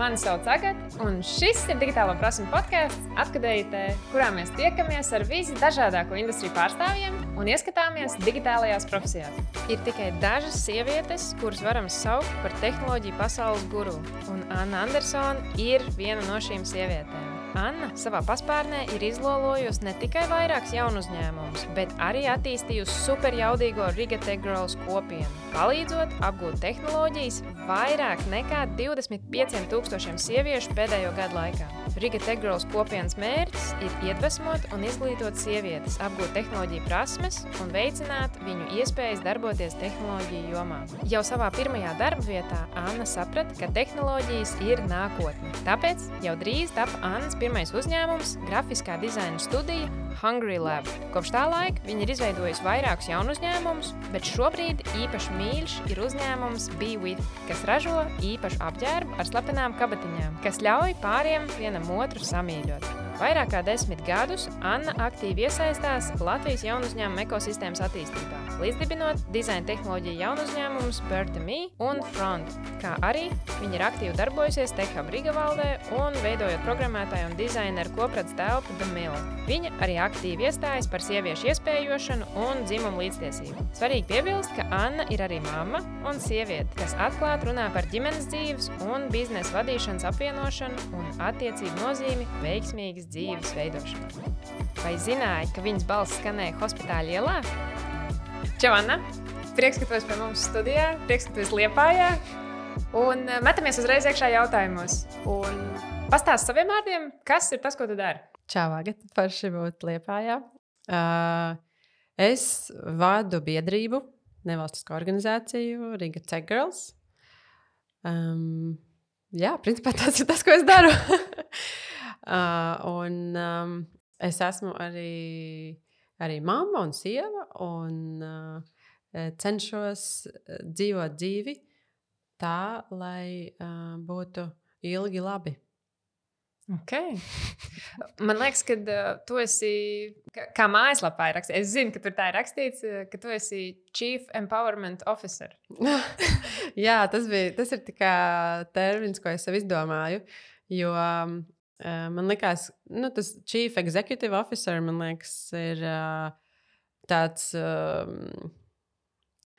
Mani sauc Agata, un šis ir Digitālo prasmu podcasts Apkadējitē, kurā mēs tiekamies ar visdažādāko industriju pārstāvjiem un ieskatāmies digitālajās profesijās. Ir tikai dažas sievietes, kuras varam saukt par tehnoloģiju pasaules guru, un Anna Andersone ir viena no šīm sievietēm. Anna savā paspārnē ir izlolojusi ne tikai vairākus jaunu uzņēmumus, bet arī attīstījusi superjaudīgo Riga Tech Girls kopienu, palīdzot apgūt tehnoloģijas vairāk nekā 25,000 sieviešu pēdējo gadu laikā. Riga Tech Girls kopienas mērķis ir iedvesmot un izglītot sievietes, apgūt tehnoloģiju prasmes un veicināt viņu iespējas darboties tehnoloģiju jomā. Jau savā pirmajā darba vietā Anna saprata, ka tehnoloģijas ir nākotne. Tāpēc jau drīz tapa Annas pirmais uzņēmums – grafiskā dizaina studija Hungry Lab. Kopš tā laika viņa ir izveidojusi vairākus jaunu uzņēmumus, bet šobrīd īpaši mīļš ir uzņēmums Be With, kas ražo īpašu apģērbu ar slepenām kabatiņām, kas ļauj pāriem vienam otru samīļot. Vairāk kā 10 gadus Anna aktīvi iesaistās Latvijas jaunu uzņēmumu ekosistēmas attīstībā, līdzdibinot dizaina tehnoloģiju jaunu uzņēmumus Bird2Me un Front, kā arī viņa ir aktīvi darbojusies TechHub Riga valdē un veidojot programmētāju un dizaineru kopredz telpu The Mill. Viņa arī aktīvi iestājas par sieviešu iespējošanu un dzimumu līdztiesību. Svarīgi piebilst, ka Anna ir arī mamma un sieviete, kas atklāti runā par ģimenes dzīves un biznesa vadīšanas apvienošanu un attiecību nozīmi veiksmīgas dzīves veidošanu. Vai zināji, ka viņas balss skanēja Hospitāļa ielā? Čau, Anna! Prieks, ka tu esi pie mums studijā, prieks, ka tu esi Liepājā. Un metamies uzreiz iekšā jautājumos. Un pastāsti saviem vārdiem, kas ir tas, ko tu dari? Čau, Agata, forši būt Liepājā. Es vadu biedrību, nevalstisko organizāciju Riga Tech Girls. Jā, principā tas ir tas, ko es daru. Es esmu arī mamma un sieva un cenšos dzīvot dzīvi tā, lai būtu ilgi labi. Okay. Man liekas, ka tu esi, kā mājaslapā ir rakstīts, es zinu, ka tur tā ir rakstīts, ka tu esi Chief Empowerment Officer. Jā, tas ir tikai termins, ko es sev izdomāju, jo man liekas, tas Chief Executive Officer, man liekas, ir tāds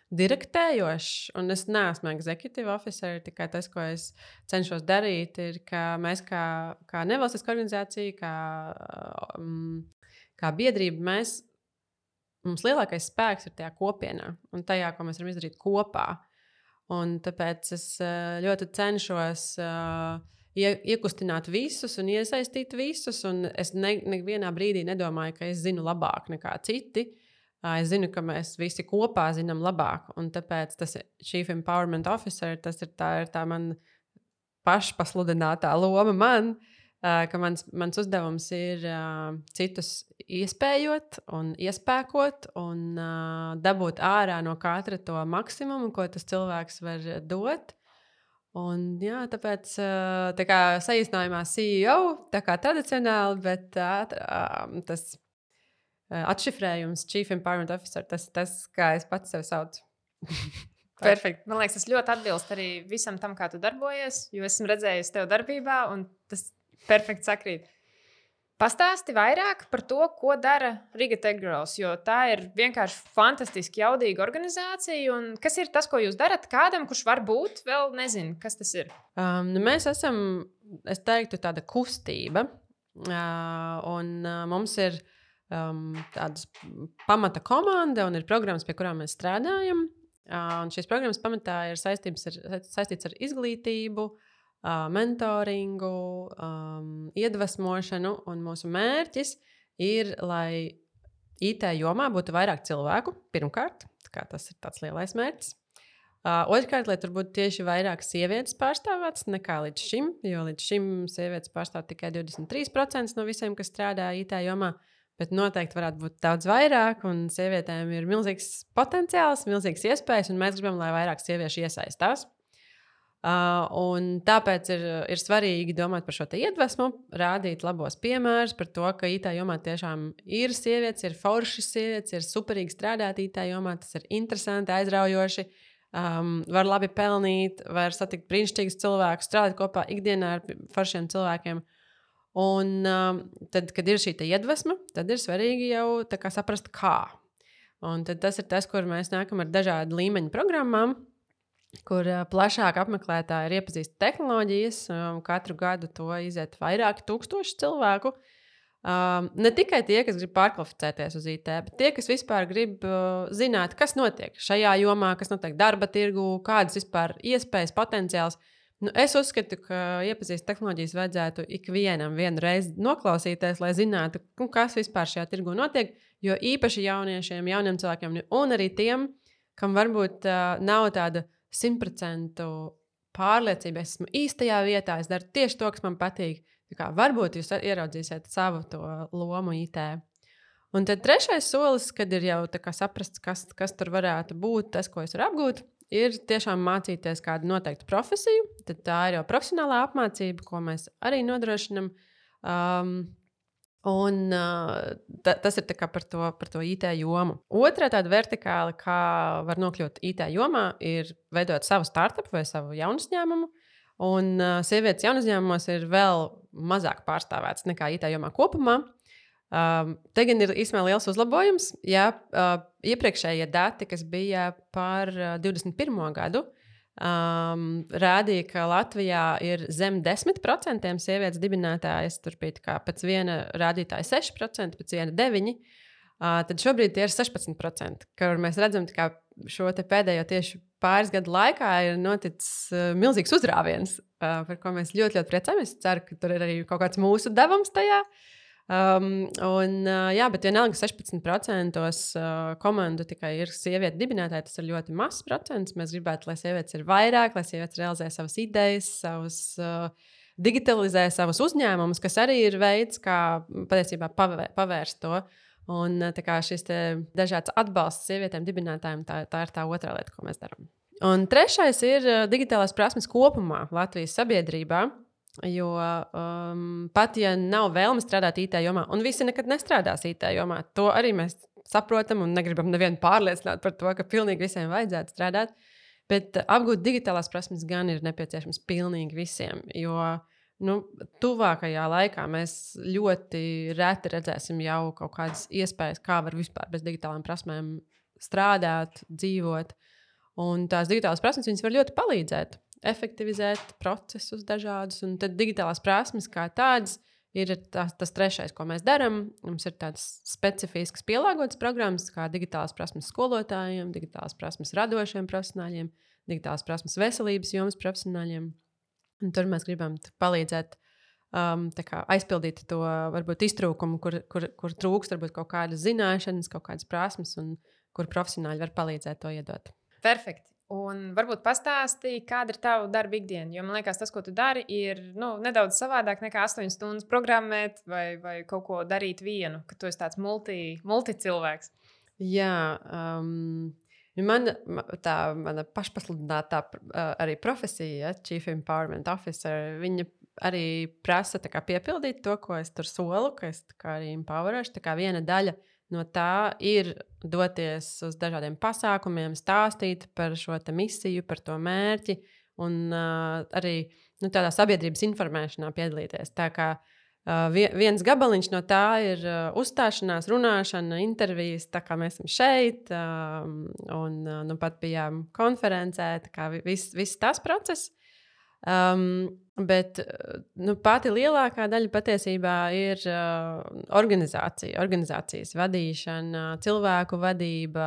direktējošs, un es neesmu executive officer, tikai tas, ko es cenšos darīt, ir, ka mēs kā nevalstiska organizācija, kā biedrība, mums lielākais spēks ir tajā kopienā un tajā, ko mēs varam izdarīt kopā. Un tāpēc es ļoti cenšos iekustināt visus un iesaistīt visus, un es nevienā brīdī nedomāju, ka es zinu labāk nekā citi. Es zinu, ka mēs visi kopā zinām labāk, un tāpēc tas Chief Empowerment Officer, tas ir tā man pašpasludinātā loma man, ka mans uzdevums ir citus iespējot un iespēkot un dabūt ārā no katra to maksimumu, ko tas cilvēks var dot. Un jā, tāpēc tā kā saīsinājumā CEO, tā kā tradicionāli, bet tas atšifrējums Chief Empowerment Officer, tas kā es pats sev saucu. Perfekt. Man liekas, tas ļoti atbilst arī visam tam, kā tu darbojies, jo esmu redzējusi tev darbībā, un tas perfekti sakrīt. Pastāsti vairāk par to, ko dara Riga Tech Girls, jo tā ir vienkārši fantastiski jaudīga organizācija, un kas ir tas, ko jūs darat kādam, kurš varbūt vēl nezina, kas tas ir? Mēs esam, es teiktu, tāda kustība, un mums ir tādas pamata komanda un ir programmas, pie kurām mēs strādājam. Un šīs programmas pamatā ir saistīts ar izglītību, mentoringu, iedvesmošanu, un mūsu mērķis ir, lai IT jomā būtu vairāk cilvēku, pirmkārt, kā tas ir tāds lielais mērķis. Otrkārt, lai tur būtu tieši vairāk sievietes pārstāvētas nekā līdz šim, jo līdz šim sievietes pārstāv tikai 23% no visiem, kas strādā IT jomā. Bet noteikti varētu būt daudz vairāk, un sievietēm ir milzīgs potenciāls, milzīgas iespējas, un mēs gribam, lai vairāk sieviešu iesaistās. Un tāpēc ir svarīgi domāt par šo te iedvesmu, rādīt labos piemērus par to, ka IT jomā tiešām ir sievietes, ir foršas sievietes, ir superīgi strādāt IT jomā, tas ir interesanti, aizraujoši. var labi pelnīt, var satikt brīnišķīgus cilvēkus, strādāt kopā ikdienā ar foršiem cilvēkiem. Un tad, kad ir šī iedvesma, tad ir svarīgi jau saprast, kā. Un tad tas ir tas, kur mēs nākam ar dažādu līmeņu programmām, kur plašāk apmeklētāji ir iepazīsti tehnoloģijas. Katru gadu to iziet vairāki tūkstoši cilvēku. Ne tikai tie, kas grib pārkvalificēties uz IT, bet tie, kas vispār grib zināt, kas notiek šajā jomā, kas notiek darba tirgu, kādas vispār iespējas, potenciāls. Es uzskatu, ka iepazīst tehnoloģijas vajadzētu ikvienam vienu reizi noklausīties, lai zinātu, kas vispār šajā tirgu notiek. Jo īpaši jauniešiem, jauniem cilvēkiem, un arī tiem, kam varbūt nav tāda 100% pārliecība, es esmu īstajā vietā, es daru tieši to, kas man patīk. Varbūt jūs ieraudzīsiet savu to lomu IT. Un tad trešais solis, kad ir jau saprasts, kas tur varētu būt, tas, ko es varu apgūt, ir tiešām mācīties kādu noteiktu profesiju. Tad tā ir jau profesionālā apmācība, ko mēs arī nodrošinam. Tas ir par to IT jomu. Otra tāda vertikāla, kā var nokļūt IT jomā, ir veidot savu startup vai savu jaunu uzņēmumu. Un sievietes jaunu uzņēmumos ir vēl mazāk pārstāvētas nekā IT jomā kopumā. Te gan ir īstenībā liels uzlabojums. Jā, iepriekšējie dati, kas bija par 21. gadu, rādīja, ka Latvijā ir zem 10% sievietes dibinātājas. Tur bija pēc viena rādītāja 6%, pēc viena 9%. Tad šobrīd tie ir 16%, kur mēs redzam, ka šo pēdējo tieši pāris gadu laikā ir noticis milzīgs uzrāviens, par ko mēs ļoti, ļoti priecājamies. Es ceru, ka tur ir arī kaut kāds mūsu devums tajā. Bet vienalga 16% komandu tikai ir sievieti dibinātāji. Tas ir ļoti mazs procents. Mēs gribētu, lai sievietes ir vairāk, lai sievietes realizē savas idejas, digitalizē savus uzņēmumus, kas arī ir veids, kā patiesībā pavērst to. Un šis dažāds atbalsts sievietēm dibinātājiem, tā ir tā otrā lieta, ko mēs darām. Un trešais ir digitālās prasmes kopumā Latvijas sabiedrībā. Jo pat ja nav vēlme strādāt IT jomā, un visi nekad nestrādās IT jomā, to arī mēs saprotam un negribam nevienu pārliecināt par to, ka pilnīgi visiem vajadzētu strādāt. Bet apgūt digitālās prasmes gan ir nepieciešams pilnīgi visiem. Jo tuvākajā laikā mēs ļoti reti redzēsim jau kaut kādas iespējas, kā var vispār bez digitālām prasmēm strādāt, dzīvot. Un tās digitālās prasmes viņas var ļoti palīdzēt, efektivizēt procesus dažādus. Un tad digitālās prasmes kā tādas ir tas trešais, ko mēs darām. Mums ir tādas specifiskas pielāgotas programmas, kā digitālās prasmes skolotājiem, digitālās prasmes radošiem profesionāļiem, digitālās prasmes veselības jomas profesionāļiem. Un tur mēs gribam palīdzēt aizpildīt to varbūt iztrūkumu, kur trūkst varbūt kaut kādas zināšanas, kaut kādas prasmes, un kur profesionāļi var palīdzēt to iedot. Perfekti. Un varbūt pastāstīja, kāda ir tava darba ikdiena. Jo man liekas, tas, ko tu dari, ir nedaudz savādāk nekā 8 stundas programmēt vai kaut ko darīt vienu, ka tu esi tāds multicilvēks. Jā, mana pašpasludinātā arī profesija, Chief Empowerment Officer, viņa arī prasa piepildīt to, ko es tur solu, ka es arī empowerošu. Viena daļa no tā ir doties uz dažādiem pasākumiem, stāstīt par šo misiju, par to mērķi un arī tādā sabiedrības informēšanā piedalīties. Tā kā viens gabaliņš no tā ir uzstāšanās, runāšana, intervijas, tā kā mēs esam šeit, un pat bijām konferencē, tā kā viss tas process. Bet pati lielākā daļa patiesībā ir organizācijas vadīšana, cilvēku vadība,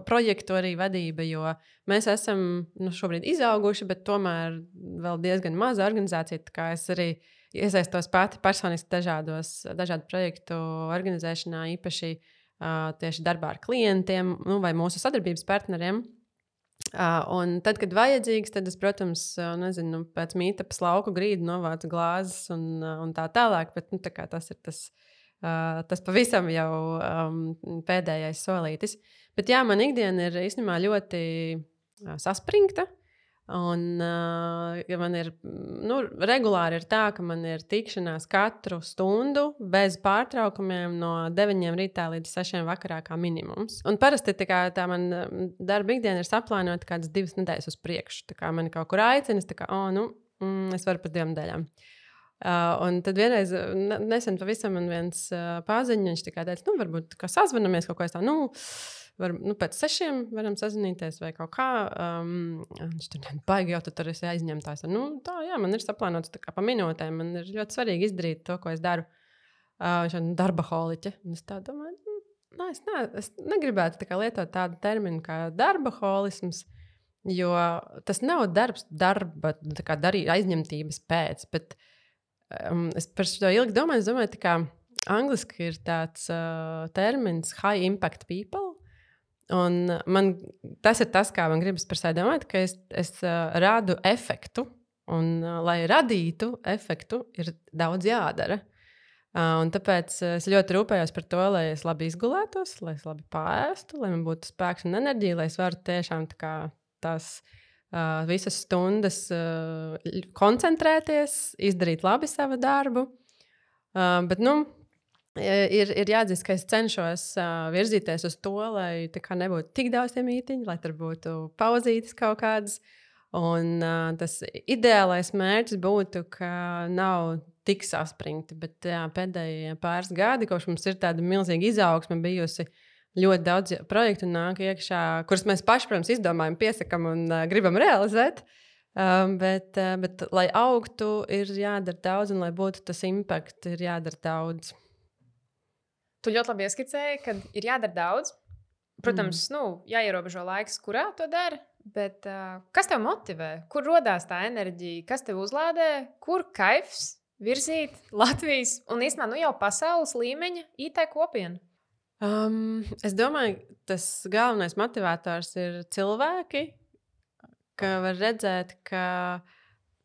projektu arī vadība, jo mēs esam šobrīd izauguši, bet tomēr vēl diezgan maza organizācija, tā kā es arī iesaistos pati personiski dažādu projektu organizēšanā, īpaši tieši darbā ar klientiem vai mūsu sadarbības partneriem. Un tad, kad vajadzīgs, tad es, protams, pēc mītapas lauku grīdu novācu glāzes un tā tālāk, bet tas ir tas pavisam jau pēdējais solītis. Bet jā, man ikdiena ir īstenībā ļoti saspringta. Un ja man ir, regulāri ir tā, ka man ir tikšanās katru stundu bez pārtraukumiem no 9 rītā līdz 6 vakarā kā minimums. Un parasti tā man darba ikdiena ir saplānota kādas 2 nedēļas uz priekšu. Tā kā mani kaut kur aicina, es varu pēc 2 nedēļām. Un tad vienreiz, nesen pavisam man viens paziņš, viņš teica, varbūt sazvanamies kaut ko tādu. Pēc 6 varam sazināties vai kaut kā. Viņš tur baigi jau tur esi aizņemtājs. Man ir saplānots pa minūtēm. Man ir ļoti svarīgi izdarīt to, ko es daru. Viņš ir darbaholiķe. Es tā domāju, es negribētu lietot tādu terminu kā darbaholisms, jo tas nav darba aizņemtības pēc. Bet es par to ilgi domāju. Es domāju, ka angliski ir tāds termins high impact people. Un tas ir tas, kā man gribas par sevi domāt, ka es rādu efektu. Un, lai radītu efektu, ir daudz jādara. Un tāpēc es ļoti rūpējos par to, lai es labi izgulētos, lai es labi pārēstu, lai man būtu spēks un enerģija, lai es varu tiešām tās visas stundas koncentrēties, izdarīt labi savu darbu. Bet, ir jāatzīst, ka es cenšos virzīties uz to, lai nebūtu tik daudz tie mītiņi, lai tur būtu pauzītes kaut kādas. Un tas ideālais mērķis būtu, ka nav tik saspringti. Bet pēdējie pāris gadi, kopš mums ir tāda milzīga izaugsme bijusi, ļoti daudz projektu nāk iekšā, kurus mēs paši, protams, izdomājam, piesakam un gribam realizēt. Bet, lai augtu, ir jādara daudz, un lai būtu tas impact, ir jādara daudz. Tu ļoti labi ieskicēji, ka ir jādara daudz. Protams, jāierobežo laiks, kurā to dara. Bet kas tev motivē? Kur rodās tā enerģija? Kas tev uzlādē? Kur kaifs virzīt Latvijas un īstenībā jau pasaules līmeņa IT kopienu? Es domāju, tas galvenais motivators ir cilvēki, ka var redzēt, ka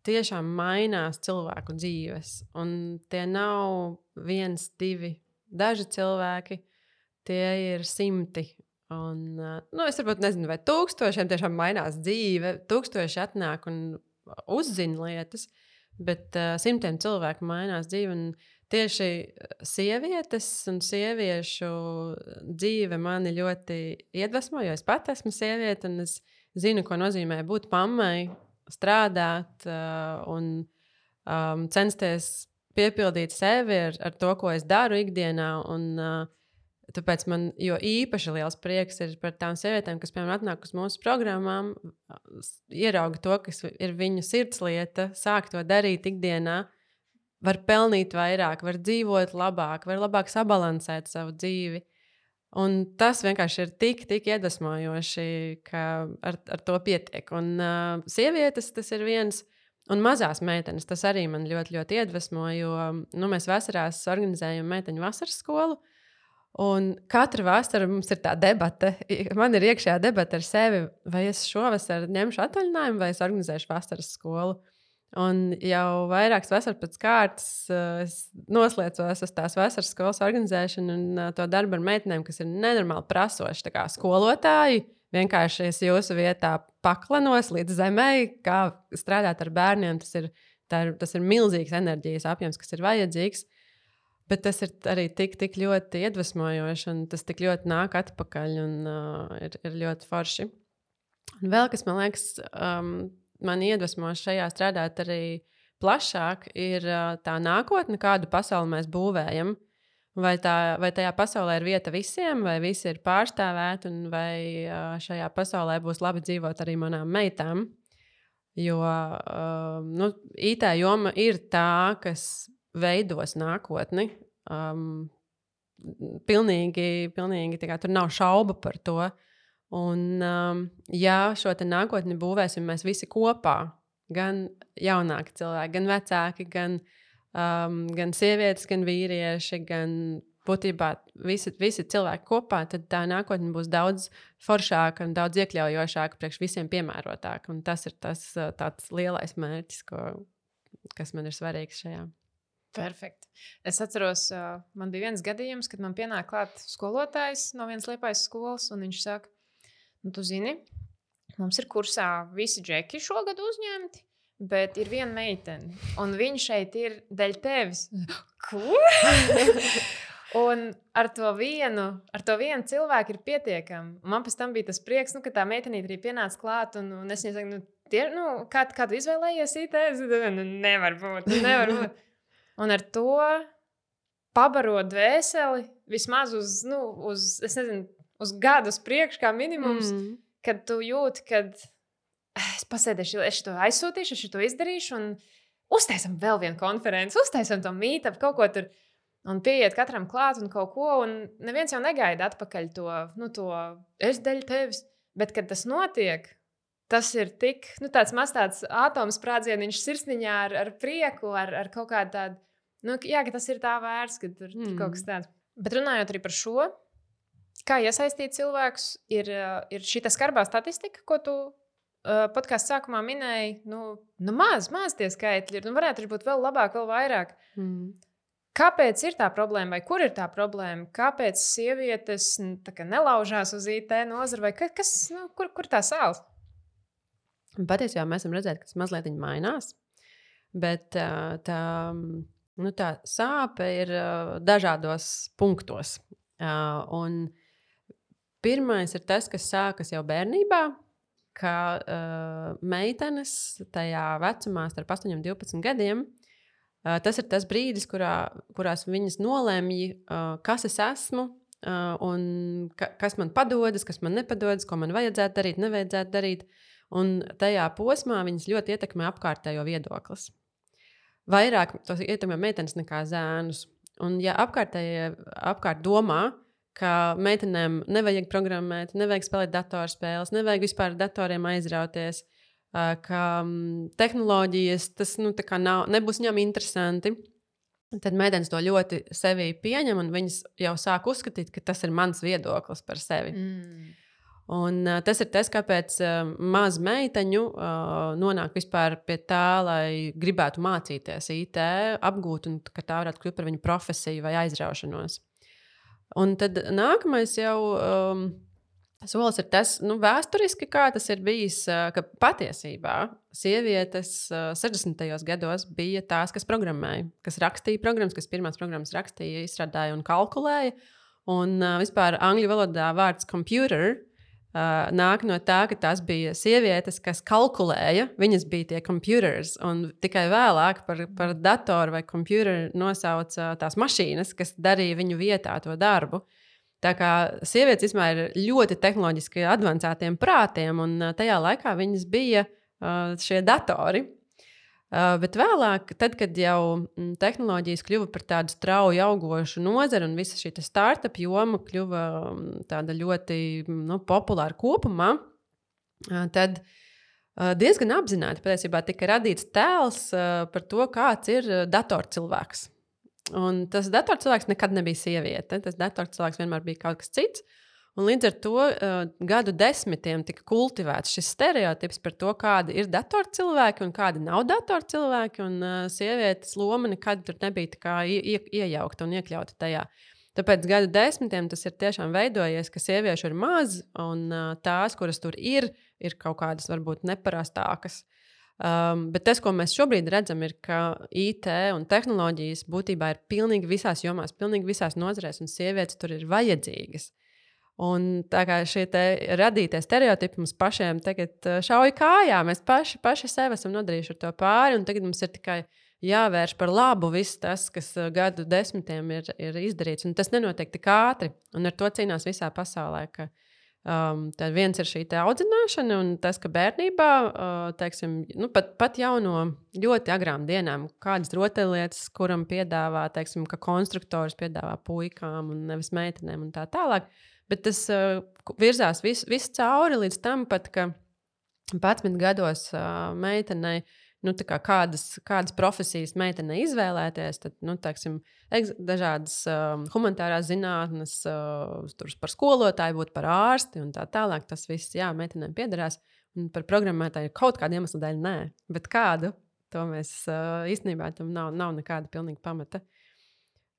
tiešām mainās cilvēku dzīves. Un tie nav 1, 2. Daži cilvēki, tie ir 100. Un, es varbūt nezinu, vai 1000 tiešām mainās dzīve, 1000 atnāk un uzzina lietas, bet 100 cilvēku mainās dzīve. Un tieši sievietes un sieviešu dzīve mani ļoti iedvesmo, jo es pat esmu sieviete un es zinu, ko nozīmē būt mammai, strādāt un censties piepildīt sevi ar to, ko es daru ikdienā. Un, tāpēc man īpaši liels prieks ir par tām sievietēm, kas, piemēram, atnāk uz mūsu programmām, ierauga to, kas ir viņu sirdslieta, sāk to darīt ikdienā, var pelnīt vairāk, var dzīvot labāk, var labāk sabalansēt savu dzīvi. Un tas vienkārši ir tik iedvesmojoši, ka ar to pietiek. Un sievietes tas ir viens. Un mazās meitenes, tas arī man ļoti, ļoti iedvesmo, jo mēs vasarās organizējam meiteņu vasaras skolu. Un katru vasaru mums ir tā debate. Man ir iekšējā debate ar sevi, vai es šovasar ņemšu atvaļinājumu, vai es organizēšu vasaras skolu. Un jau vairākas vasaras pēc kārtas es noslēdzos uz tās vasaras skolas organizēšanu un to darbu ar meitenēm, kas ir nenormāli prasoši, tā kā skolotāji. Vienkārši es jūsu vietā paklanos līdz zemei, kā strādāt ar bērniem. Tas ir milzīgs enerģijas apjoms, kas ir vajadzīgs. Bet tas ir arī tik ļoti iedvesmojoši, un tas tik ļoti nāk atpakaļ, un ir ļoti forši. Un vēl, kas man liekas, man iedvesmo šajā strādāt arī plašāk, ir tā nākotne, kādu pasauli mēs būvējam. Vai tajā pasaulē ir vieta visiem, vai visi ir pārstāvēti, un vai šajā pasaulē būs labi dzīvot arī manām meitām. Jo IT joma ir tā, kas veidos nākotni. Pilnīgi tur nav šauba par to. Un, ja šo te nākotni būvēsim mēs visi kopā, gan jaunāki cilvēki, gan vecāki, gan sievietes, gan vīrieši, gan būtībā visi cilvēki kopā, tad tā nākotne būs daudz foršāka un daudz iekļaujošāka, priekš visiem piemērotāka. Un tas ir tāds lielais mērķis, kas man ir svarīgs šajā. Perfekti. Es atceros, man bija viens gadījums, kad man pienāk klāt skolotājs no vienas Liepājas skolas, un viņš saka, tu zini, mums ir kursā visi džeki šogad uzņemti, bet ir viena meitene, un viņa šeit ir dēļ tevis. Ko? Un ar to vienu cilvēku ir pietiekami. Man pēc tam bija tas prieks, ka tā meitenīte arī pienāca klāt, un es viņai saku, kā tu izvēlējies IT? Nevar būt. Un ar to pabarot dvēseli vismaz uz gadu priekš, kā minimums, kad tu jūti, ka es pasēdēšu, es to aizsūtīšu, es to izdarīšu, un uztaisam vēl vienu konferenci, uztaisam to meetup, kaut ko tur. Un pieiet katram klāt un kaut ko, un neviens jau negaida atpakaļ to es dēļ tevis. Bet, kad tas notiek, tas ir tik, tāds maz tāds atomsprādzieniņš sirsniņā ar prieku, ar kaut kādu tādu, ka tas ir tā vērts, ka tur kaut kas tāds. Bet runājot arī par šo, kā iesaistīt cilvēkus, ir šī skarbā statistika, ko tu podkāstu sākumā minēji, maz tie skaitļi ir, varētu būt vēl labāk, vēl vairāk. Kāpēc ir tā problēma, vai kur ir tā problēma? Kāpēc sievietes nelaužās uz IT nozari, vai kas, kur tā sāls? Patiesībā mēs esam redzējuši, ka tas mazliet mainās, bet tā sāpe ir dažādos punktos. Un pirmais ir tas, kas sākas jau bērnībā, ka meitenes tajā vecumā starp 8 un 12 gadiem. Tas ir tas brīdis, kurās viņas nolemj, kas es esmu, un kas man padodas, kas man nepadodas, ko man vajadzētu darīt, nevajadzētu darīt. Un tajā posmā viņas ļoti ietekmē apkārtējo viedoklis. Vairāk tos ietekmē meitenes nekā zēnus. Un ja apkārt domā, ka meitenēm nevajag programmēt, nevajag spēlēt datorspēles, nevajag vispār ar datoriem aizrauties, ka tehnoloģijas tas nebūs viņam interesanti, tad meitenes to ļoti sevī pieņem, un viņas jau sāk uzskatīt, ka tas ir mans viedoklis par sevi. Un tas ir tas, kāpēc maz meiteņu nonāk vispār pie tā, lai gribētu mācīties IT, apgūt, un ka tā varētu kļūt par viņu profesiju vai aizraušanos. Un tad nākamais jau solis ir tas, vēsturiski, kā tas ir bijis, ka patiesībā sievietes 60. gados bija tās, kas programmēja, kas rakstīja programmas, kas pirmās programmas rakstīja, izstrādāja un kalkulēja. Un vispār angļu valodā vārds computer nāk no tā, ka tās bija sievietes, kas kalkulēja, viņas bija tie computers, un tikai vēlāk par datoru vai computer nosauca tās mašīnas, kas darīja viņu vietā to darbu. Tā kā sievietes vispār ir ļoti tehnoloģiski advancētiem prātiem, un tajā laikā viņas bija šie datori. Bet vēlāk, tad, kad jau tehnoloģijas kļuva par tādu strauju augošu nozari un visa šī startup joma kļuva tāda ļoti populāra kopumā, tad diezgan apzināti patiesībā tika radīts tēls par to, kāds ir datorcilvēks. Un tas datorcilvēks nekad nebija sieviete. Tas datorcilvēks vienmēr bija kaut kas cits. Un līdz ar to gadu desmitiem tika kultivēts šis stereotips par to, kādi ir datorcilvēki un kādi nav datorcilvēki. Un sievietes loma nekad tur nebija tā kā iejaukta un iekļauta tajā. Tāpēc gadu desmitiem tas ir tiešām veidojies, ka sieviešu ir maz, un tās, kuras tur ir kaut kādas varbūt neparastākas. Bet tas, ko mēs šobrīd redzam, ir, ka IT un tehnoloģijas būtībā ir pilnīgi visās jomās, pilnīgi visās nozarēs, un sievietes tur ir vajadzīgas. Un tā kā šie radītie stereotipi mums pašiem tagad šauj kājā, mēs paši sev esam nodarījuši ar to pāri, un tagad mums ir tikai jāvērš par labu viss tas, kas gadu desmitiem ir izdarīts, un tas nenotiek tik ātri, un ar to cīnās visā pasaulē, ka tad viens ir šī audzināšana, un tas, ka bērnībā, teiksim, pat jau no ļoti agrām dienām, kādas rotaļlietas, kuram piedāvā, teiksim, ka konstruktors piedāvā puikām un nevis meitenēm un tā tālāk, bet tas virzās viss cauri līdz tam pat, ka 11 gados meitenei, kādas profesijas meitene izvēlēties, tad, teiksim, dažādas humanitārās zinātnes, par skolotāju būt par ārsti un tā tālāk. Tas viss, meitenēm piederās. Un par programmētāju kaut kādu iemeslu dēļ nē. Bet kādu? To mēs īstenībā tam nav nekāda pilnīga pamata.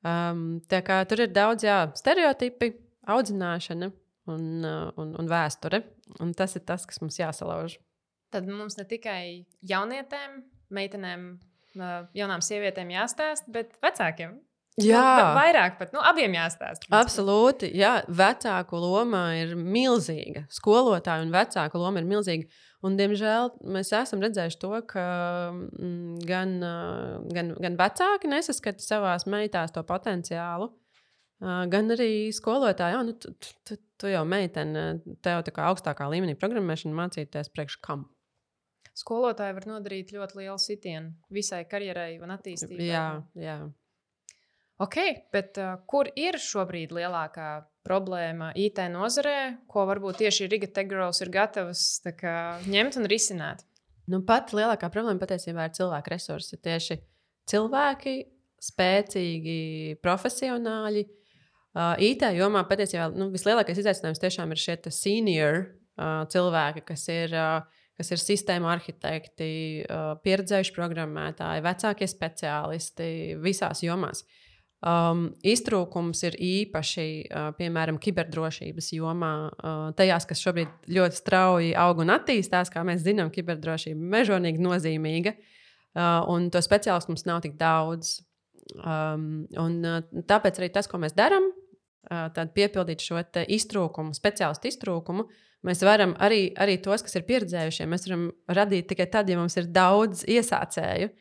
Tā kā tur ir daudz, stereotipi, audzināšana. un vēsture. Un tas ir tas, kas mums jāsalauž. Tad mums ne tikai jaunietēm, meitenēm, jaunām sievietēm jāstāst, bet vecākiem. Vairāk pat, abiem jāstāst. Absolūti, jā. Vecāku loma ir milzīga. Skolotāju un vecāku loma ir milzīga. Un, diemžēl, mēs esam redzējuši to, ka gan vecāki nesaskata savās meitās to potenciālu, gan arī skolotāji. Tu jau meitene, tev tā kā augstākā līmenī programmēšanu mācīties priekš kam? Skolotāji var nodarīt ļoti lielu sitienu visai karjerai un attīstībai. Jā. Ok, bet kur ir šobrīd lielākā problēma IT nozarē, ko varbūt tieši Riga Tech Girls ir gatavas ņemt un risināt? Pat lielākā problēma patiesībā ir cilvēku resursi. Tieši cilvēki, spēcīgi, profesionāļi. IT jomā patiesībā vislielākais izaicinājums tiešām ir šie senior cilvēki, kas ir sistēmu arhitekti, pieredzējuši programmētāji, vecākie speciālisti visās jomās. Iztrūkums ir īpaši, piemēram, kiberdrošības jomā, tajās, kas šobrīd ļoti strauji aug un attīstās, kā mēs zinām, kiberdrošība ir mežonīgi nozīmīga, un to speciālistu mums nav tik daudz. Tāpēc arī tas, ko mēs darām, tad piepildīt šo iztrūkumu, speciālistu iztrūkumu, mēs varam arī tos, kas ir pieredzējušie, mēs varam radīt tikai tad, ja mums ir daudz iesācēju.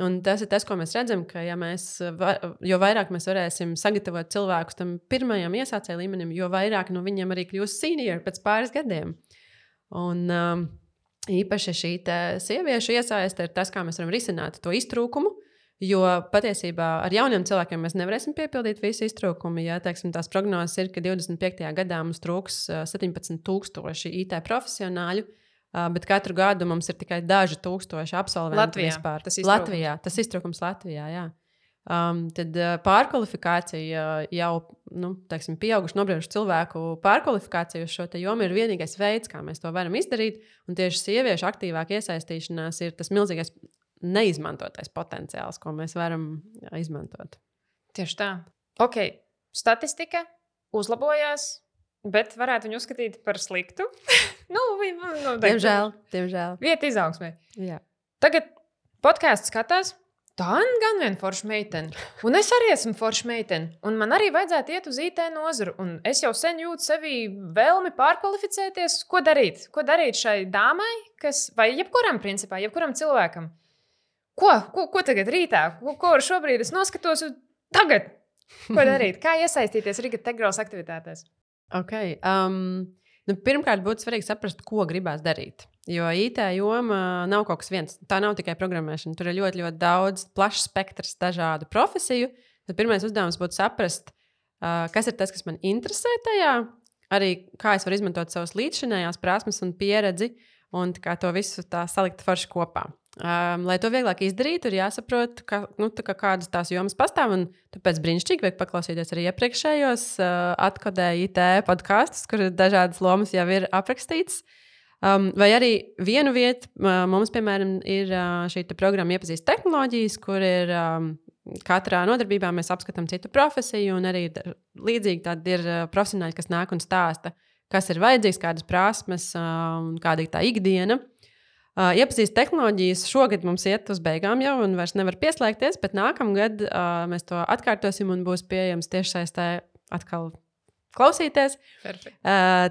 Un tas ir tas, ko mēs redzam, ka jo vairāk mēs varēsim sagatavot cilvēkus tam pirmajam iesācēju līmenim, jo vairāk no viņiem arī kļūs senior pēc pāris gadiem. Un īpaši šī sieviešu iesaiste ir tas, kā mēs varam risināt to iztrūkumu, jo patiesībā ar jauniem cilvēkiem mēs nevarēsim piepildīt visu iztrūkumu. Ja, teiksim, tās prognozes ir, ka 25. gadā mums trūks 17,000 IT profesionāļu, bet katru gadu mums ir tikai daži tūkstoši absolventu vispār. Latvijā, tas iztrūkums Latvijā, jā. Tad pārkvalifikācija jau, teiksim, pieauguši nobrieduši cilvēku pārkvalifikāciju uz šo jomu ir vienīgais veids, kā mēs to varam izdarīt. Un tieši sieviešu aktīvāk iesaistīšanās ir tas milzīgais neizmantotais potenciāls, ko mēs varam izmantot. Tieši tā. Ok, statistika uzlabojās. Bet varētu viņu uzskatīt par sliktu. Diemžēl. Vieta izaugsmē. Jā. Tagad podkāsts skatās. Tā gan viena forša meitene. Un es arī esmu forša meitene. Un man arī vajadzētu iet uz IT nozaru. Un es jau sen jūtu sevī vēlmi pārkvalificēties. Ko darīt? Ko darīt šai dāmai, vai jebkuram principā, jebkuram cilvēkam? Ko tagad rītā? Ko šobrīd es noskatos tagad? Ko darīt? Kā iesaistīties Riga Tech Girls aktivitātēs? Okay. Pirmkārt, būtu svarīgi saprast, ko gribās darīt. Jo IT joma nav kaut kas viens. Tā nav tikai programmēšana. Tur ir ļoti, ļoti daudz, plašs spektrs dažādu profesiju. Tad pirmais uzdevums būtu saprast, kas ir tas, kas man interesē tajā, arī kā es varu izmantot savas līdzšinējās prasmes un pieredzi un kā to visu tā salikt forši kopā. Lai to vieglāk izdarītu, ir jāsaprot, kādas tās jomas pastāv. Tāpēc brīnišķīgi vajag paklausīties arī iepriekšējos atkodēju IT podkastus, kur dažādas lomas jau ir aprakstītas. Vai arī vienu vietu mums, piemēram, ir šī programma Iepazīst tehnoloģijas, kur ir katrā nodarbībā mēs apskatām citu profesiju, un arī līdzīgi tādi ir profesionāļi, kas nāk un stāsta, kas ir vajadzīgs, kādas prasmes un kāda ir tā ikdiena. Iepazīst tehnoloģijas šogad mums iet uz beigām jau un vairs nevar pieslēgties, bet nākamgad mēs to atkārtosim un būs pieejams tiešsaistē atkal klausīties. Perfekt.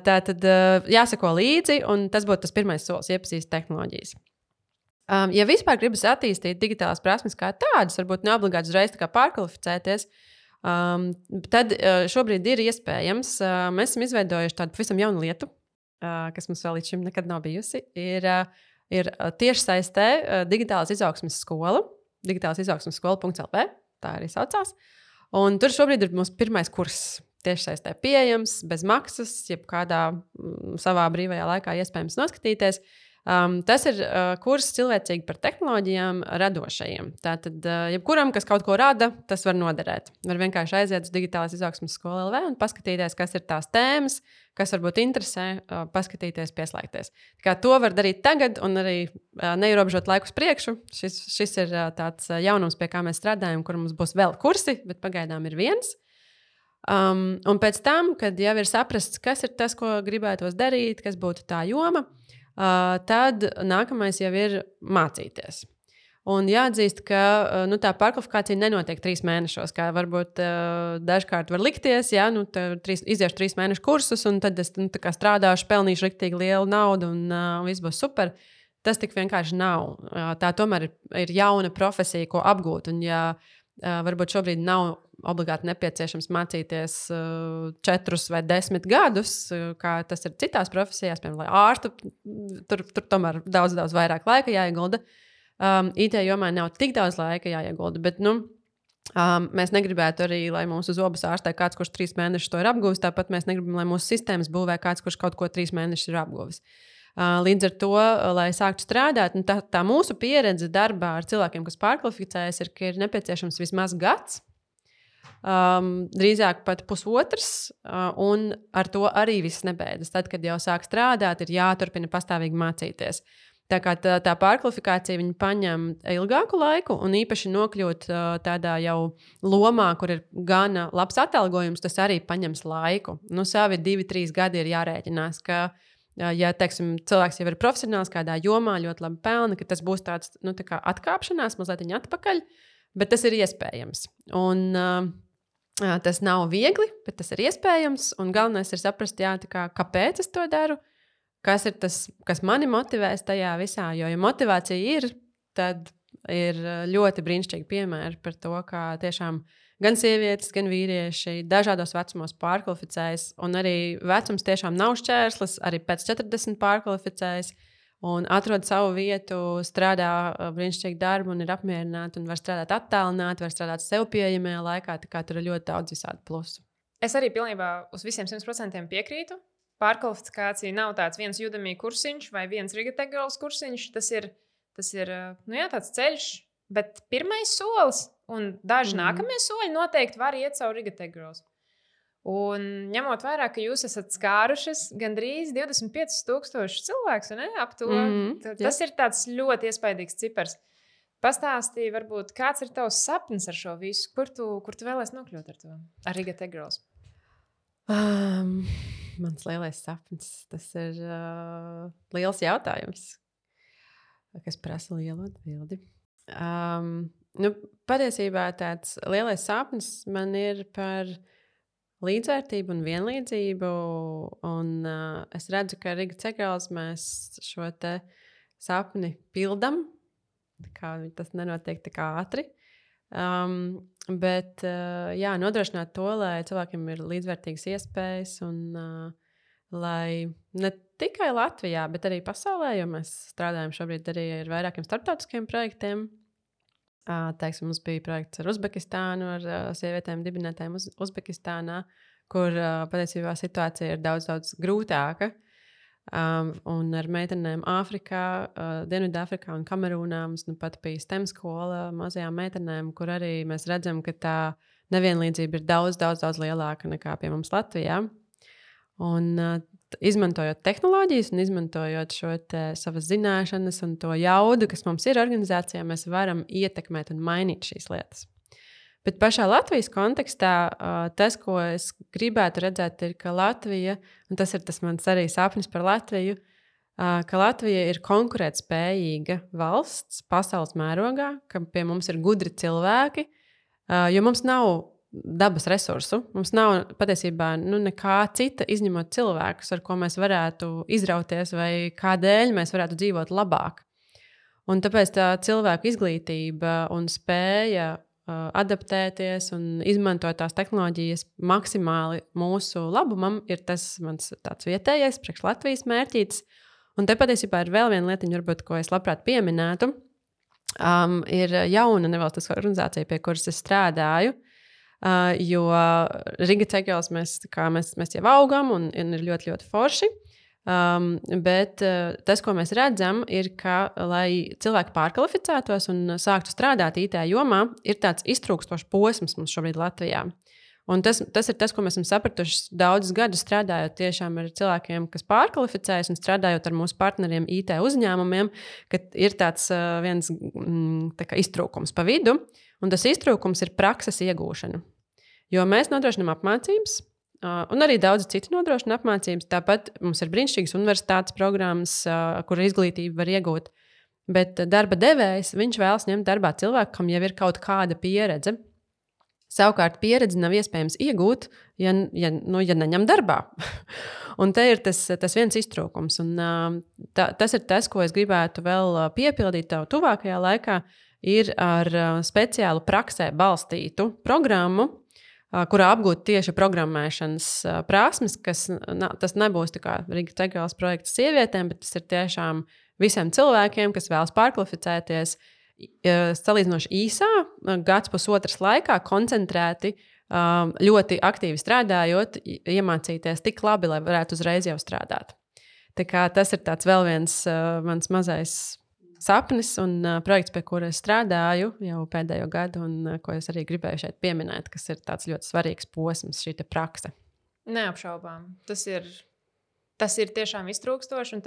Tātad jāsako līdzi, un tas būtu tas pirmais solis - iepazīst tehnoloģijas. Ja vispār gribas attīstīt digitālās prasmes kā tādas, varbūt neobligāti uzreiz pārkvalificēties, tad šobrīd ir iespējams. Mēs esam izveidojuši tādu pavisam jaunu lietu, kas mums vēl līdz šim nekad nav bijusi. Ir tiešsaistē digitālās izaugsmes skola, digitālasizaugsmeskola.lv, tā arī saucās. Un tur šobrīd ir mūsu pirmais kurs tiešsaistē pieejams, bez maksas, jebkādā savā brīvajā laikā iespējams noskatīties. Tas ir kurs cilvēcīgi par tehnoloģijām radošajiem. Tātad, jebkuram, kas kaut ko rada, tas var noderēt. Var vienkārši aiziet uz digitālās izaugsmes skolu LV un paskatīties, kas ir tās tēmas, kas varbūt interesē, paskatīties, pieslēgties. Tā kā to var darīt tagad un arī neierobežot laiku uz priekšu. Šis ir tāds jaunums, pie kā mēs strādājam, kur mums būs vēl kursi, bet pagaidām ir viens. Un pēc tam, kad jau ir saprasts, kas ir tas, ko gribētos darīt, kas būtu tā joma, tad nākamais jau ir mācīties. Un jāatzīst, ka tā pārkvalifikācija nenotiek 3 mēnešos, kā varbūt dažkārt var likties. Ja, iziešu 3 mēnešu kursus, un tad es strādāšu, pelnīšu riktīgi lielu naudu, un viss būs super. Tas tik vienkārši nav. Tā tomēr ir jauna profesija, ko apgūt. Un, ja varbūt šobrīd nav obligāti nepieciešams mācīties 4 vai 10 gadus, kā tas ir citās profesijās, piemēram, lai ārstu, tur tomēr daudz vairāk laika jāiegulda. IT jomā nav tik daudz laika jāiegulda, bet mēs negribētu arī, lai mūsu zobus ārstē kāds, kurš 3 mēnešus to ir apguvis, tāpat mēs negribam, lai mūsu sistēmas būvē kāds, kurš kaut ko 3 mēnešus ir apguvis. Līdz ar to, lai sāktu strādāt, tā mūsu pieredze darbā ar cilvēkiem, kas pārkvalificējas, ir, ka ir nepieciešams vismaz gads, drīzāk pat 1,5, un ar to arī viss nebeidzas. Tad, kad jau sāk strādāt, ir jāturpina pastāvīgi mācīties. Tā kā tā pārkvalifikācija viņa paņem ilgāku laiku, un īpaši nokļūt tādā jau lomā, kur ir gana labs atalgojums, tas arī paņems laiku. Savi 2-3 gadi ir jārēķinās, ka, ja teiksim, cilvēks jau ir profesionāls kādā jomā, ļoti labi pelna, ka tas būs tāds tā kā atkāpšanās, mazliet atpakaļ, bet tas ir iespējams. Un tas nav viegli, bet tas ir iespējams, un galvenais ir saprast, kāpēc es to daru. Kas ir tas, kas mani motivēs tajā visā? Jo, ja motivācija ir, tad ir ļoti brīnišķīgi piemēri par to, kā tiešām gan sievietes, gan vīrieši dažādos vecumos pārkvalificējas. Un arī vecums tiešām nav šķērslis, arī pēc 40 pārkvalificējas un atrod savu vietu, strādā brīnišķīgu darbu un ir apmierināti un var strādāt attālināti, var strādāt sev pieejamajā laikā. Tā kā tur ir ļoti daudz visādi plusu. Es arī pilnībā uz visiem 100% piekrītu. Pārkvalifikācija nav tāds viens Udemy kursiņš vai viens Riga-Tech-Girls kursiņš. Tas ir tāds ceļš, bet pirmais solis un daži nākamie soļi noteikti var iet caur Riga-Tech-Girls. Un ņemot vērā, ka jūs esat skārušas gandrīz 25,000 cilvēkus, ap to, tas ir tāds ļoti iespaidīgs cipars. Pastāstīji, varbūt, kāds ir tavs sapnis ar šo visu? Kur tu vēlēsi nokļūt ar to? Ar Riga-Tech-Girls? Mans lielais sapnis, tas ir liels jautājums, kas prasa lielu atbildi. Patiesībā tāds lielais sapnis man ir par līdzvērtību un vienlīdzību, un es redzu, ka Riga-Tech-Girls mēs šo te sapni pildam, tas nenotiek tik ātri. Bet nodrošināt to, lai cilvēkiem ir līdzvērtīgas iespējas un lai ne tikai Latvijā, bet arī pasaulē, jo mēs strādājam šobrīd arī ar vairākiem starptautiskiem projektiem. Teiksim, mums bija projekts ar Uzbekistānu, ar sievietēm dibinētājiem Uzbekistānā, kur patiesībā situācija ir daudz grūtāka. Un ar meitenēm Āfrikā, Dienvidāfrikā un Kamerūnā mums pat bija STEM skola mazajām meitenēm, kur arī mēs redzam, ka tā nevienlīdzība ir daudz lielāka nekā pie mums Latvijā. Un izmantojot tehnoloģijas un izmantojot šo savas zināšanas un to jaudu, kas mums ir organizācijā, mēs varam ietekmēt un mainīt šīs lietas. Bet pašā Latvijas kontekstā tas, ko es gribētu redzēt, ir, ka Latvija, un tas ir tas mans arī sapnis par Latviju, ka Latvija ir konkurētspējīga valsts pasaules mērogā, ka pie mums ir gudri cilvēki, jo mums nav dabas resursu, mums nav patiesībā nekā cita izņemot cilvēkus, ar ko mēs varētu izrauties vai kādēļ mēs varētu dzīvot labāk. Un tāpēc tā cilvēku izglītība un spēja adaptēties un izmantot tās tehnoloģijas maksimāli mūsu labumam ir tas mans tāds vietējais, priekš Latvijas mērķītis. Un te patiesībā ir vēl viena lietiņa, varbūt, ko es labprāt pieminētu. Ir jauna nevalstiskā organizācija, pie kuras es strādāju, jo Riga-Tech-Girls mēs jau augam un ir ļoti forši. Bet tas, ko mēs redzam, ir, ka, lai cilvēki pārkvalificētos un sāktu strādāt IT jomā, ir tāds iztrūkstošs posms mums šobrīd Latvijā. Un tas ir tas, ko mēs esam sapratuši daudzus gadus strādājot tiešām ar cilvēkiem, kas pārkvalificējas un strādājot ar mūsu partneriem IT uzņēmumiem, ka ir tāds viens iztrūkums pa vidu, un tas iztrūkums ir prakses iegūšana. Jo mēs nodrošinām apmācības, un arī daudz citu nodrošina apmācības. Tāpat mums ir brīnišķīgas universitātes programmas, kur izglītību var iegūt. Bet darba devējs, viņš vēlas ņemt darbā cilvēku, kam jau ir kaut kāda pieredze. Savukārt pieredzi nav iespējams iegūt, ja neņem darbā. Un te ir tas viens iztrūkums. Un, tas ir tas, ko es gribētu vēl piepildīt tev tuvākajā laikā, ir ar speciālu praksē balstītu programmu, kurā apgūt tieši programmēšanas prasmes, tas nebūs tā kā Riga Tegrals projekts sievietēm, bet tas ir tiešām visiem cilvēkiem, kas vēlas pārkvalificēties salīdzinoši īsā, gads pusotras laikā, koncentrēti, ļoti aktīvi strādājot, iemācīties tik labi, lai varētu uzreiz jau strādāt. Tā kā tas ir tāds vēl viens mans mazais sapnis un projekts, pie kura es strādāju jau pēdējo gadu, un ko es arī gribēju šeit pieminēt, kas ir tāds ļoti svarīgs posms, šī prakse. Neapšaubām. Tas ir tiešām iztrūkstoši, un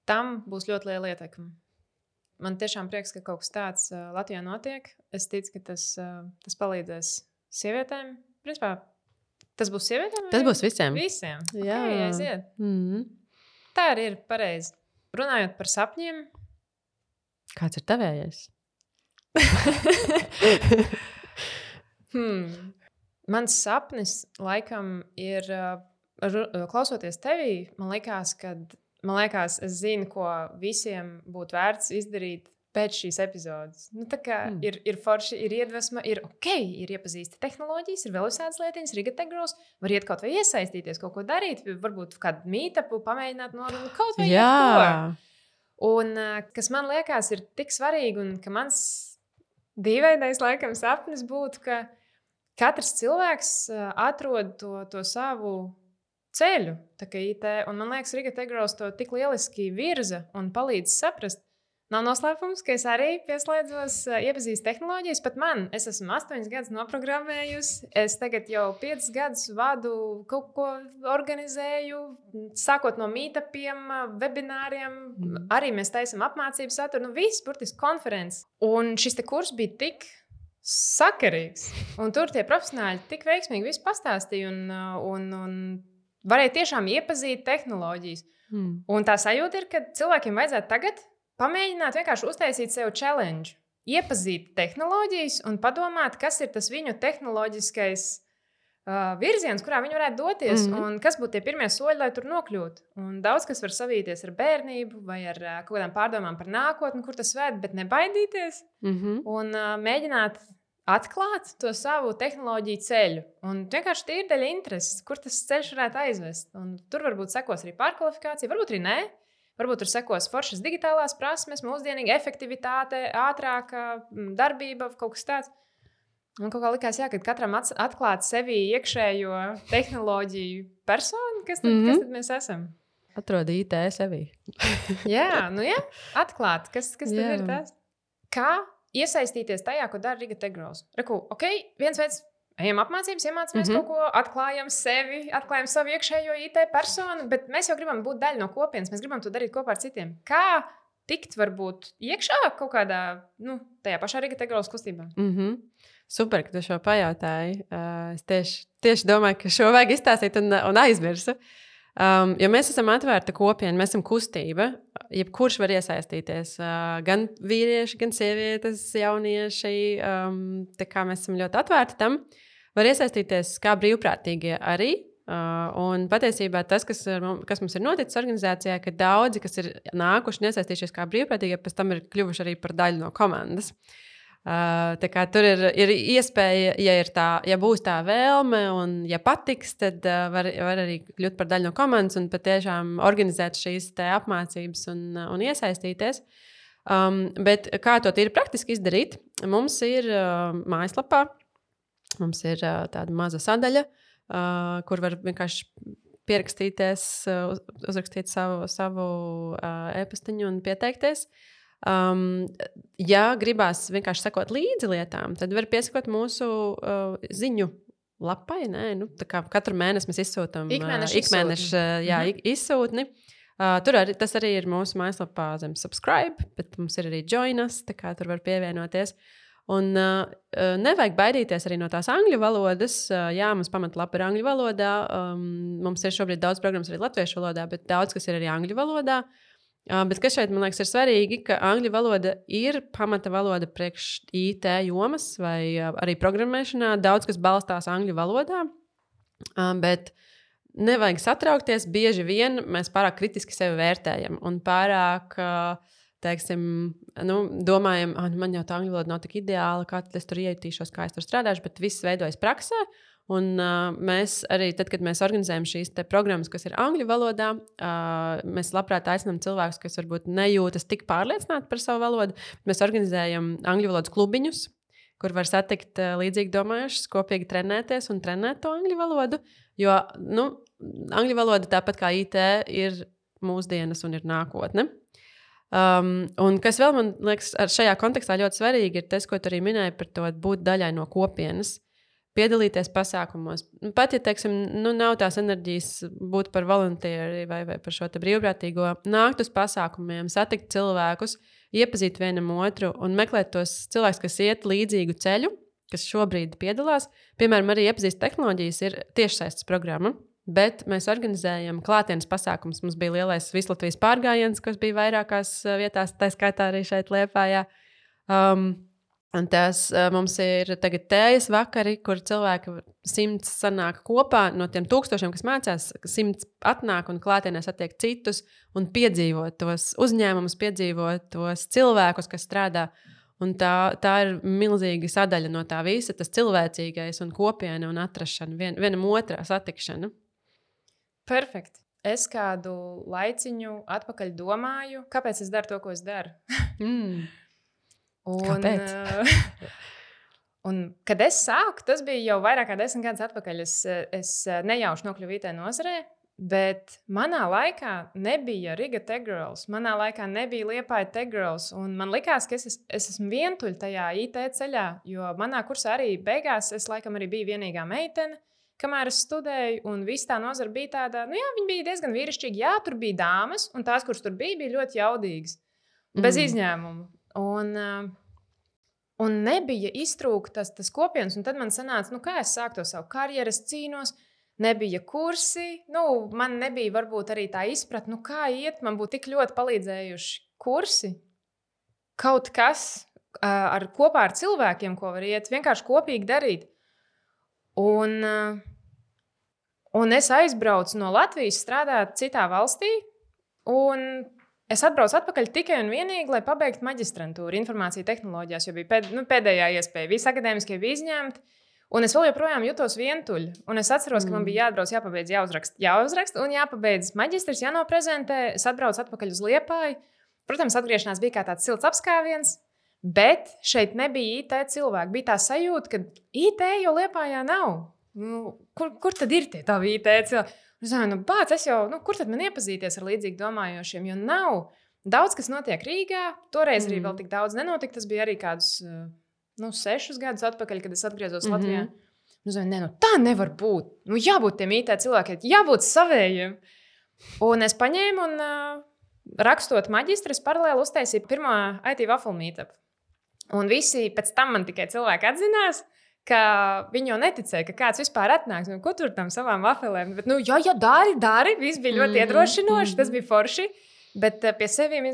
tam būs ļoti liela ietekme. Man tiešām prieks, ka kaut kas tāds Latvijā notiek. Es ticu, ka tas palīdzēs sievietēm. Principā, tas būs sievietēm? Tas būs visiem. Visiem. Jā. Okay, aiziet. Mm-hmm. Tā arī ir pareizi. Runājot par sapņiem. Kāds ir tavējais? Mans sapnis laikam ir, klausoties tevī, man liekas, es zinu, ko visiem būtu vērts izdarīt pēc šīs epizodes. Ir forši, ir iedvesma, ir iepazīsti tehnoloģijas, ir vēl visādas lietiņas, Riga Tegrals, var iet kaut vai iesaistīties, kaut ko darīt, varbūt kādu meetupu pamēģināt norunāt, kaut vai jebko. Un kas man liekas ir tik svarīgi, un ka mans dīvainais laikam sapnis būtu, ka katrs cilvēks atrod to savu ceļu, tā kā IT, un man liekas, Riga Tegrals to tik lieliski virza un palīdz saprast. Nav noslēpums, ka es arī pieslēdzos, iepazīstu tehnoloģijas, pat es esmu 8 gadus noprogrammējusi, es tagad jau 5 gadus vadu, kaut ko organizēju, sākot no meetupiem, webināriem, arī mēs taisam apmācību saturu, viss burtiski konferences. Un šis te kurs bija tik sakarīgs, un tur tie profesionāļi tik veiksmīgi visu pastāstīja un varēja tiešām iepazīt tehnoloģijas. Un tā sajūta ir, ka cilvēkiem vajadzētu tagad pamēģināt vienkārši uztaisīt sev challenge, iepazīt tehnoloģijas un padomāt, kas ir tas viņu tehnoloģiskais virziens, kurā viņi varētu doties, un kas būtu tie pirmie soļi, lai tur nokļūtu. Un daudz kas var savīties ar bērnību vai ar kaut kādām pārdomām par nākotni, kur tas ved, bet nebaidīties un mēģināt atklāt to savu tehnoloģiju ceļu. Un vienkārši tīri dēļ intereses, kur tas ceļš varētu aizvest. Un tur varbūt sekos arī pārkvalifikācija, varbūt arī nē. Varbūt tur sekos foršas digitālās prasmes, mūsdienīga efektivitāte, ātrāka darbība, kaut kas tāds. Un kaut kā likās, ka katram atklāt sevi iekšējo tehnoloģiju personu, kas tad mēs esam? Atrod IT sevi. jā, atklāt, kas tad ir tas? Kā iesaistīties tajā, ko dara Riga Tegrals? Reku, viens veids. Ejam apmācības, iemācāmies kaut ko, atklājam sevi, atklājam savu iekšējo IT personu, bet mēs jau gribam būt daļa no kopienas, mēs gribam to darīt kopā ar citiem. Kā tikt varbūt iekšā kaut kādā, tajā pašā Riga Tegrals kustībā? Super, ka tu šo pajautāji. Es tieši domāju, ka šo vajag izstāstīt un aizmirsu. Jo mēs esam atvērta kopiena, mēs esam kustība. Jebkurš var iesaistīties. Gan vīrieši, gan sievietes, jaunieši. Tā kā mēs esam ļoti atvērti tam. Var iesaistīties kā brīvprātīgie arī. Un patiesībā tas, kas mums ir noticis organizācijā, ka daudzi, kas ir nākuši un iesaistījušies kā brīvprātīgie, pēc tam ir kļuvuši arī par daļu no komandas. Tā kā tur ir iespēja, ja būs tā vēlme un ja patiks, tad var arī kļūt par daļu no komandas un patiešām organizēt šīs apmācības un iesaistīties. Bet kā to tīri praktiski izdarīt? Mums ir mājaslapā, mums ir tāda maza sadaļa, kur var vienkārši pierakstīties, uzrakstīt savu e-pastiņu un pieteikties. Ja gribās vienkārši sekot līdzi lietām, tad var piesakot mūsu ziņu lapai. Tā kā katru mēnesi mēs izsūtam izsūtni. Tas arī ir mūsu mājaslapā zem subscribe, bet mums ir arī join us, tā kā tur var pievienoties. Un nevajag baidīties arī no tās angļu valodas. Jā, mums pamatlapa ir angļu valodā. Mums ir šobrīd daudz programmas arī latviešu valodā, bet daudz kas ir arī angļu valodā. Bet kas šeit, man liekas, ir svarīgi, ka angļu valoda ir pamata valoda priekš IT jomas vai arī programmēšanā. Daudz kas balstās angļu valodā, bet nevajag satraukties. Bieži vien mēs pārāk kritiski sevi vērtējam un pārāk... teiksim, domājam, man jau tā angļu valoda nav tik ideāla, kā tad es tur ietīšos, kā es tur strādāšu, bet viss veidojas praksē. Un mēs arī, tad, kad mēs organizējam šīs programmas, kas ir angļu valodā, mēs labprāt aicinām cilvēkus, kas varbūt nejūtas tik pārliecināti par savu valodu. Mēs organizējam angļu valodas klubiņus, kur var satikt līdzīgi domājušus, kopīgi trenēties un trenēt to angļu valodu. Jo angļu valoda, tāpat kā IT, ir mūsdienas un ir nākotne. Un kas vēl man liekas šajā kontekstā ļoti svarīgi ir tas, ko tu arī minēji par to būt daļai no kopienas, piedalīties pasākumos. Pat, ja, teiksim, nav tās enerģijas būt par volunteeri vai par šo te brīvprātīgo, nākt uz pasākumiem, satikt cilvēkus, iepazīt vienam otru un meklēt tos cilvēkus, kas iet līdzīgu ceļu, kas šobrīd piedalās. Piemēram, arī iepazīst tehnoloģijas ir tiešsaistes programma. Bet mēs organizējam klātienes pasākumus. Mums bija lielais Vislatvijas pārgājiens, kas bija vairākās vietās, tā skaitā arī šeit Liepājā. Un mums ir tagad tējas vakari, kur cilvēki 100 sanāk kopā no tiem 1000, kas mācās, 100 atnāk un klātienē satiek citus un piedzīvot tos uzņēmumus, piedzīvot tos cilvēkus, kas strādā. Un tā ir milzīga sadaļa no tā visa, tas cilvēcīgais un kopiena un atrašana, vienam otrā satikšana. Perfekt. Es kādu laiciņu atpakaļ domāju, kāpēc es daru to, ko es daru. Kāpēc? Un, kad es sāku, tas bija jau vairāk kā 10 gadus atpakaļ. Es nejauši nokļuvu IT nozarē, bet manā laikā nebija Riga Tech Girls, manā laikā nebija Liepāja Tech Girls, un man likās, ka es esmu vientuļ tajā IT ceļā, jo manā kursā arī beigās es laikam arī biju vienīgā meitene, kamēr es studēju, un viss tā nozara bija tāda, viņi bija diezgan vīrišķīgi. Jā, tur bija dāmas, un tās, kuras tur bija ļoti jaudīgas, bez izņēmumu. Un nebija iztrūktas tas kopienas, un tad man sanāca, kā es sāku to savu karjeru, es cīnos, nebija kursi, man nebija varbūt arī tā izpratne, kā iet, man būtu tik ļoti palīdzējuši kursi, kaut kas kopā ar cilvēkiem, ko var iet, vienkārši kopīgi darīt. Un es aizbraucu no Latvijas strādāt citā valstī, un es atbraucu atpakaļ tikai un vienīgi, lai pabeigtu maģistrantūru informācija tehnoloģijās, jo bija pēdējā iespēja. Visi akadēmiskie bija izņemti, un es vēl joprojām jutos vientuļa. Un es atceros, ka man bija jāatbrauc, jāpabeidz, jāuzrakst un jāpabeidz maģistrs, jānoprezentē. Es atbraucu atpakaļ uz Liepāju. Protams, atgriešanās bija kā tāds silts apskāviens, bet šeit nebija IT cilvēki. Bija tā sajūta, ka IT jau Liepājā nav. Kur tad ir tie tavi IT cilvēki? Es domāju, kur tad man iepazīties ar līdzīgi domājošiem, jo nav daudz, kas notiek Rīgā. Toreiz arī vēl tik daudz nenotika. Tas bija arī kādus 6 gadus atpakaļ, kad es atgriezos Latvijā. Es domāju, tā nevar būt. Jābūt tiem IT cilvēkiem, jābūt savējiem. Un es paņēmu un rakstot maģistru, es paralēli uztaisīju pirmo IT waffle meetup. Un visi pēc tam man tikai cilvēki atzinās, ka viņi jau neticēja, ka kāds vispār atnāks. Ko tur tam savām wafelēm? Bet, dari. Viss bija ļoti iedrošinoši, tas bija forši. Bet pie seviem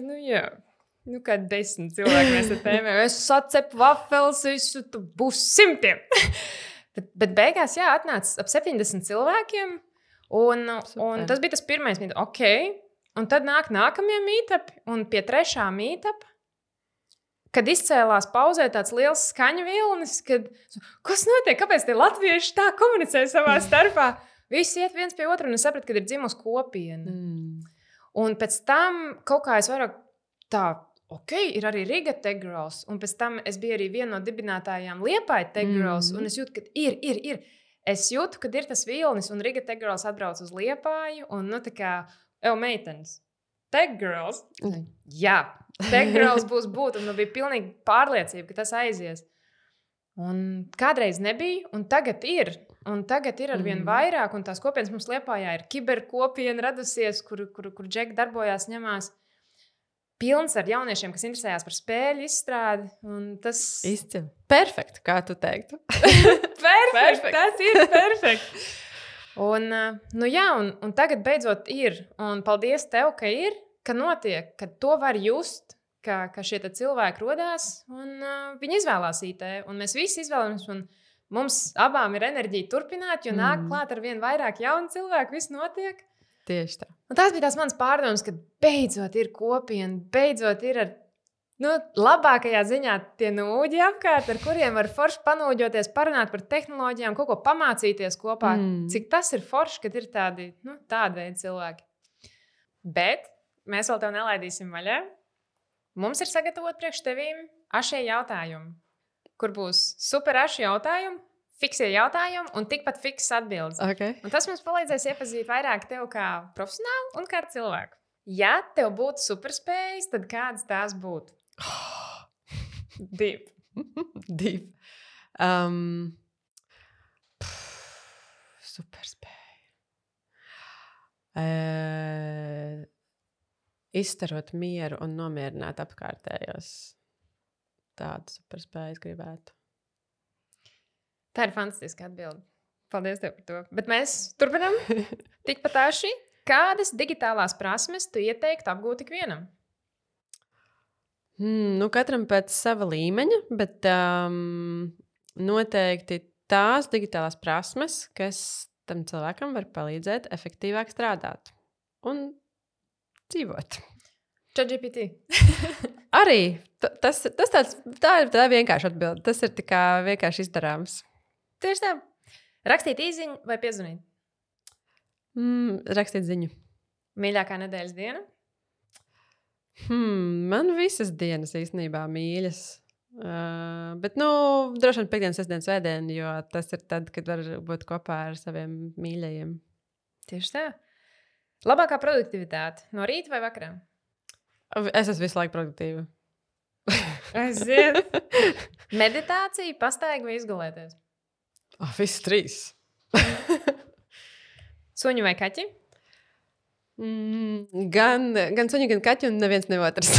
kā 10 cilvēki mēs te tēmējam. Es sacepu wafels, būs 100. bet beigās, atnāca ap 70 cilvēkiem. Un tas bija tas pirmais meetup. Okay. Un tad nāk nākamie meetupi. Un pie 3. meetup, kad izcēlās pauzē tāds liels skaņu vilnis, kas notiek, kāpēc tie latvieši tā komunicē savā starpā? Visi iet viens pie otra, un es sapratu, ka ir dzimusi kopiena. Un pēc tam kaut kā es vairāk ir arī Riga Tech Girls, un pēc tam es biju arī viena no dibinātājām Liepāja Tech Girls, un es jūtu, ka ir. Es jūtu, ka ir tas vilnis, un Riga Tech Girls atbrauc uz Liepāju, un tā kā, meitenes, Tech Girls? Jā. Tech Girls būs būt, un man bija pilnīgi pārliecība, ka tas aizies. Un kādreiz nebija, un tagad ir. Un tagad ir arvien vairāk, un tās kopienas mums Liepājā ir kiberkopiena radusies, kur Džeki darbojās, ņemās. pilns ar jauniešiem, kas interesējās par spēļu izstrādi. Tas izcili. Perfekti, kā tu teiktu. Perfekti, tas ir perfekti. Un tagad beidzot ir. Un paldies tev, ka ir, ka notiek, ka to var just, ka šie cilvēki rodās un viņi izvēlās IT. Un mēs visi izvēlamies, un mums abām ir enerģija turpināt, jo nāk klāt ar vien vairāk jaunu cilvēku, viss notiek. Tieši tā. Un tās bija tās manas pārdomas, ka beidzot ir kopiena, beidzot ir ar labākajā ziņā tie nūģi apkārt, ar kuriem var forši panūģoties, parunāt par tehnoloģijām, kaut ko pamācīties kopā. Cik tas ir forši, kad ir tādi veidi cilvēki. Bet mēs vēl tev nelaidīsim vaļā. Mums ir sagatavot priekš tevīm ašie jautājumi, kur būs super aši jautājumi, fiksie jautājumi un tikpat fiksas atbildes. Okay. Un tas mums palīdzēs iepazīt vairāk tevi kā profesionālu un kā cilvēku. Ja tev būtu superspējas, tad kādas tās būtu? Divi. Superspēja. Izstarot mieru un nomierināt apkārtējos. Tādu superspēju gribētu. Tā ir fantastiska atbilde. Paldies tev par to. Bet mēs turpinām. Tikpat tāši. Kādas digitālās prasmes tu ieteiktu apgūt ikvienam? Katram pēc sava līmeņa, bet noteikti tās digitālās prasmes, kas tam cilvēkam var palīdzēt efektīvāk strādāt un dzīvot. ChatGPT. Arī. Tā ir vienkārši atbilde. Tas ir tikai vienkārši izdarāms. Tieši tā. Rakstīt īziņu vai piezvanīt? Rakstīt ziņu. Mīļākā nedēļas diena? Man visas dienas īstenībā mīļas. Bet, droši vien piekdienas, sestdienas, svētdien, jo tas ir tad, kad var būt kopā ar saviem mīļajiem. Tieši tā. Labākā produktivitāte no rīta vai vakarā? Es esmu visu laiku produktīva. Aiziet. Meditācija, pastaiga vai izgulēties? Viss trīs. Suņi vai kaķi? Gan suņi, gan kaķi, un neviens ne otrs.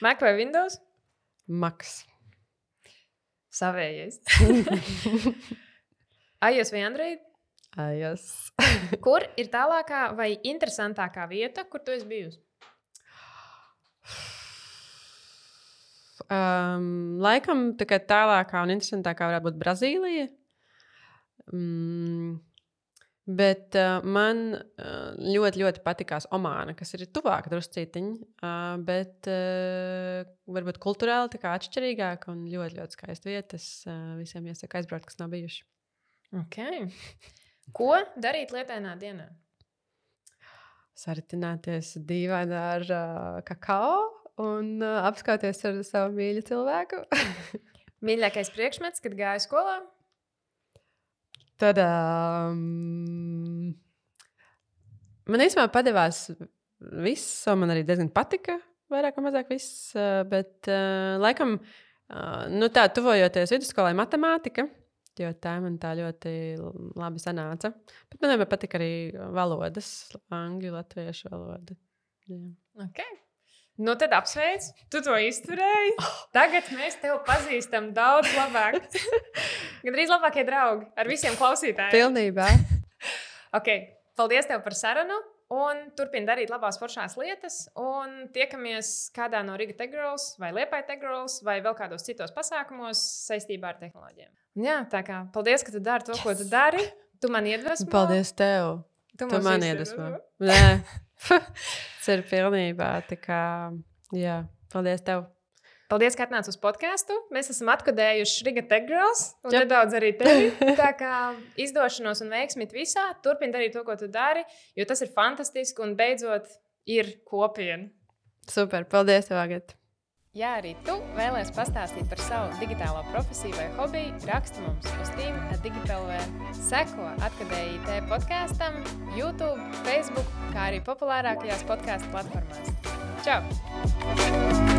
Mac vai Windows? Macs. Savējais. iOS vai Android? iOS. Kur ir tālākā vai interesantākā vieta, kur tu esi bijusi? Laikam tikai tālākā un interesantākā varētu būt Brazīlija. Bet man ļoti, ļoti patikās Omāna, kas ir tuvāk druscītiņi, bet varbūt kulturāli tā kā atšķirīgāk un ļoti, ļoti skaista vietas. Visiem iesaku aizbraukt, kas nav bijuši. Okay. Ko darīt lietainā dienā? Saritināties dīvaini ar kakao un apskauties ar savu mīļu cilvēku. Mīļākais priekšmets, kad gāju skolā? Tad man īstenībā padevās viss, man arī diezgan patika, vairāk vai mazāk viss, bet laikam, tā tuvojoties vidusskolai matemātika, jo tā man tā ļoti labi sanāca. Bet man vienmēr patika arī valodas, angļu, latviešu valoda. Jā. Okay. Tad apsveic, tu to izturēji. Tagad mēs tevi pazīstam daudz labāk. Gandrīz labākie draugi ar visiem klausītājiem. Pilnībā. Okay. Paldies tev par sarunu. Un turpini darīt labās foršās lietas. Un tiekamies kādā no Riga Tech Girls vai Liepāja Tech Girls vai vēl kādos citos pasākumos saistībā ar tehnoloģijām. Jā, tā kā paldies, ka tu dari to, ko tu dari. Tu man iedvesmo. Paldies tev. Tu man iedvesmo. Nē. Tas ir pilnībā tā kā, jā, paldies tev. Paldies, ka atnāc uz podcastu. Mēs esam atkodējuši Riga Tech Girls un nedaudz arī tevi. Tā kā izdošanos un veiksmīt visā, turpini darīt to, ko tu dari, jo tas ir fantastiski un beidzot ir kopiena. Super, paldies tev, Agata. Ja arī tu vēlies pastāstīt par savu digitālo profesiju vai hobiju, raksti mums uz team@digital.lv. Seko Atkadēji IT podkastam, YouTube, Facebook, kā arī populārākajās podcastu platformās. Čau!